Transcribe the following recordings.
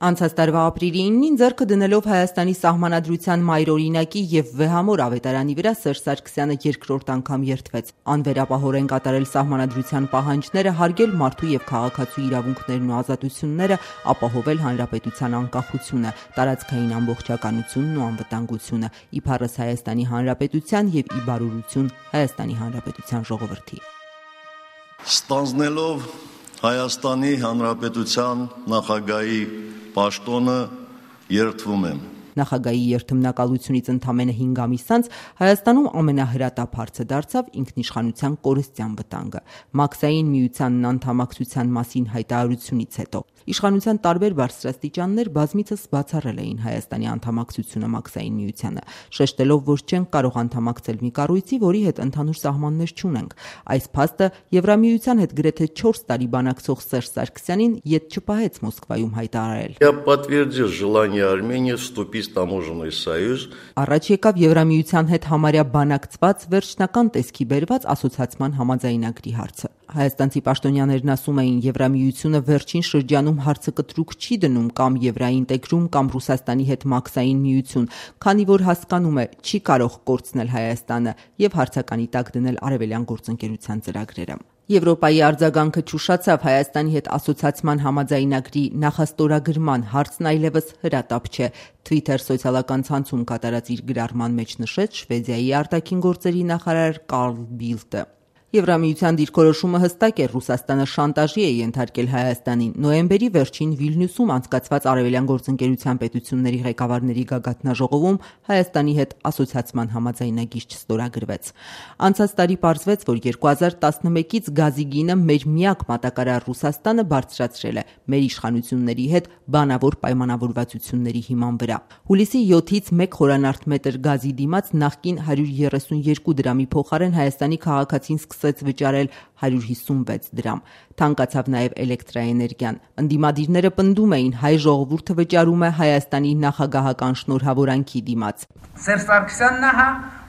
Անցած տարվա ապրիլի 9-ին ձեռքը դնելով Հայաստանի սահմանադրության մայրօրինակի եւ վեհամոր ավետարանի վրա Սերժ Սարգսյանը երկրորդ անգամ երդվեց անվերապահորեն կատարել սահմանադրության պահանջները, հարգել մարդու եւ քաղաքացու իրավունքներն ու ազատությունները, ապահովել հանրապետության անկախությունը, տարածքային ամբողջականությունն ու անվտանգությունը, իբարս Հայաստանի Հանրապետության եւ ի բարօրություն Հայաստանի Հանրապետության ժողովրդի։ Ստանձնելով Հայաստանի Հանրապետության նախագահի պաշտոնը երդվում եմ։ Նախագահի երդմնակալությունից ընդամենը 5 ամիս անց Հայաստանում ամենահրատապ հարցը դարձավ ինքնիշխանության կորստյան վտանգը։ Մաքսային միությանն անդամակցության մասին հայտարարությունից հետո իշխանության տարբեր բարձրաստիճաններ բազմիցս բացառել էին Հայաստանի անդամակցությունը Մաքսային միությանը, շեշտելով, որ չեն կարող անդամակցել մի կառույցի, որի հետ ընդհանուր սահմաններ չունենք։ Այս փաստը Եվրամիության հետ գրեթե 4 տարի բանակցող Սերժ Սարգսյանին ետ չպահեց Մոսկվայում հայտարարել։ Я подтвердил желание Армении вступить в таможенный союз. Առաջ եկավ Եվրամիության հետ համարյա բանակցված վերջնական տեսքի բերված ասոցիացման համաձայնագրի հարցը։ Հայաստանցի պաշտոնյաներն ասում էին, Եվրամիությունը վերջին շրջանում հարցը կտրուկ չի դնում կամ եվրաինտեգրում կամ Ռուսաստանի հետ մաքսային միություն, քանի որ հասկանում է, չի կարող կորցնել Հայաստանը եւ հարցականի տակ դնել արևելյան գործընկերության ծրագրերը։ Եվրոպայի արձագանքը չուշացավ Հայաստանի հետ ասոցիացման համաձայնագրի նախաստորագրման հարցն այլևս հրատապ չէ։ Twitter սոցիալական ցանցում կատարած իր գրառման մեջ նշեց Շվեդիայի արտաքին գործերի նախարար Կարլ Բիլտը։ Եվրամիության դիրքորոշումը հստակ է, Ռուսաստանը շանտաժի է ենթարկել Հայաստանին։ Նոյեմբերի վերջին Վիլնյուսում անցկացված արևելյան գործընկերության պետությունների ղեկավարների գագաթնաժողովում Հայաստանի հետ ասոցիացման համաձայնագիր չստորագրվեց։ Անցած տարի պարզվեց, որ 2011-ից գազի գինը մեր միակ մատակարար Ռուսաստանը բարձրացրել է մեր իշխանությունների հետ բանավոր պայմանավորվածությունների հիման վրա։ Հուլիսի 7-ից 1 խորանարդ մետր գազի դիմաց նախկին 132 դրամի փոխարեն Հայաստանի քաղաքացին սկսեց վճարել 156 դրամ։ Թանկացավ նաև էլեկտրաէներգիան։ Ընդդիմադիրները պնդում էին, հայ ժողովուրդը վճարում է Հայաստանի նախագահական շնորհավորանքի դիմաց։ Սերժ Սարգսյանն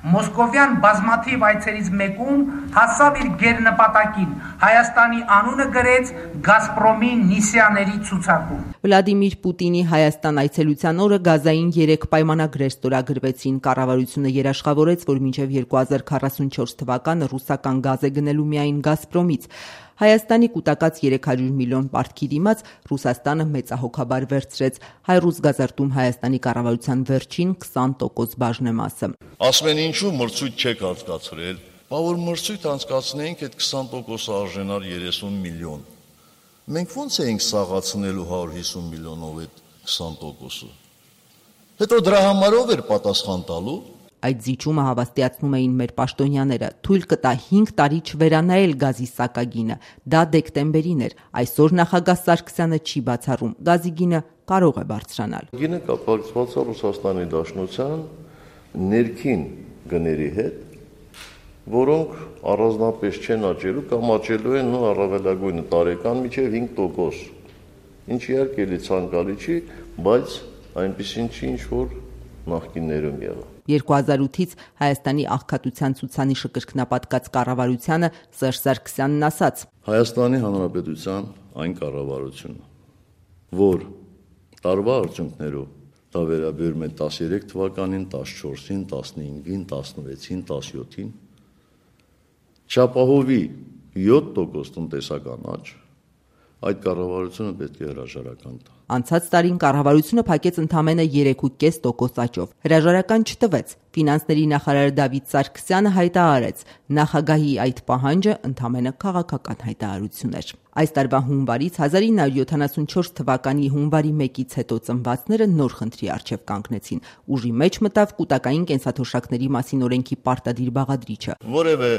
Մոսկովյան բազմաթիվ այցերից մեկում հասավ իր գերնպատակին, Հայաստանի անունը գրեց Գազպրոմի նիսյաների ցուցակում։ Վլադիմիր Պուտինի Հայաստան այցելության օրը գազային 3 պայմանագրեր ստորագրվեցին։ Կառավարությունը երաշխավորեց, որ մինչև 2044 թվականը ռուսական գազ է գնելու միայն Գազպրոմից։ Հայաստանի կուտակած 300 միլիոն պարտքի դիմաց Ռուսաստանը մեծահոգաբար վերցրեց հայ-ռուս գազարտում Հայաստանի կառավարության վերջին 20% բաժնեմասը։ Ասում են ինչու մրցույթ չեք անցկացրել, բա որ մրցույթ անցկացնեինք այդ 20% արժենար 30 միլիոն։ Մենք ո՞նց էինք սաղացնելու 150 միլիոնով այդ 20%-ը։ Հետո դրա համարով էր պատասխան տալու։ Այդ զիջումը հավաստիացնում էին մեր պաշտոնյաները, թույլ կտա 5 տարի չվերանայել գազի սակագինը։ Դա դեկտեմբերին էր։ Այսօր նախագահ Սարգսյանը չի բացառում, գազի գինը կարող է բարձրանալ։ Գինը կապակցված է Ռուսաստանի Դաշնության ներքին գների հետ, որոնք առանձնապես չեն աճելու կամ աճելու են ու առավելագույնը տարեկան մինչև 5%։ Ինչ իհարկե էլի ցանկալի չի, բայց այնպեսին չի, ինչ որ նախկիններում եղավ։ 2008-ից Հայաստանի աղքատության ցուցանիշը կրկնապատկած կառավարությանը Սերժ Սարգսյանն ասաց. Հայաստանի Հանրապետության այն կառավարությունը, որ տարվա արդյունքներով դա վերաբերում է 13 թվականին, 14-ին, 15-ին, 16-ին, 17-ին, չապահովի 7% տնտեսական աճ, այդ կառավարությունը պետք է հրաժարական տա։ Անցած տարին կառավարությունը փակեց ընդամենը 3.5% աճով։ Հրաժարական չտվեց։ Ֆինանսների նախարար Դավիթ Սարգսյանը հայտարարեց, նախագահի այդ պահանջը ընդամենը քաղաքական հայտարարություն էր։ Այս տարվա հունվարից 1974 թվականի հունվարի 1-ից հետո ծնվածները նոր խնդրի առջև կանգնեցին։ Ուժի մեջ մտավ կուտակային կենսաթոշակների մասին օրենքի պարտադիր բաղադրիչը։ Որևէ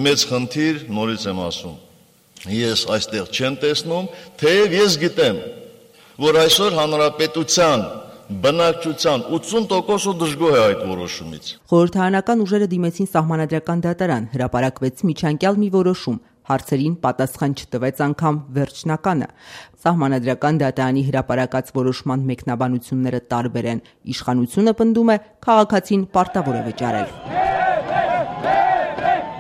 մեծ խնդիր, նորից եմ ասում, ես այստեղ չեմ տեսնում, թեև ես գիտեմ, որ այսօր հանրապետության բնակչության 80%-ը դժգոհ է այդ որոշումից։ Խորհրդարանական ուժերը դիմեցին սահմանադրական դատարան, հրապարակվեց միջանկյալ մի որոշում, հարցերին պատասխան չտվեց անգամ վերջնականը։ Սահմանադրական դատարանի հրապարակած որոշման մեկնաբանությունները տարբեր են։ Իշխանությունը պնդում է, քաղաքացին պարտավոր է վճարել։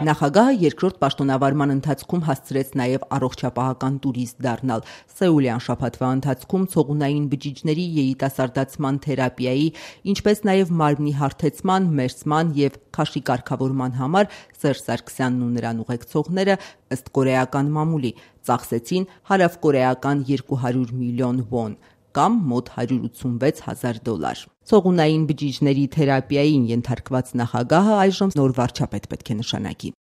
Նախագահը երկրորդ պաշտոնավարման ընթացքում հասցրեց նաև առողջապահական տուրիստ դառնալ։ Սեուլյան շաբաթվա ընթացքում ցողունային բջիջների երիտասարդացման թերապիայի, ինչպես նաև մարմնի հարթեցման, մերձման եւ քաշի կարգավորման համար Սերժ Սարգսյանն ու նրան ուղեկցողները ըստ կորեական մամուլի ծախսեցին հարավկորեական 200 միլիոն վոն կամ մոտ $186,000։ Ցողունային բջիջների թերապիային ենթարկված նախագահը այժմ նոր վարչապետ պետք է նշանակի։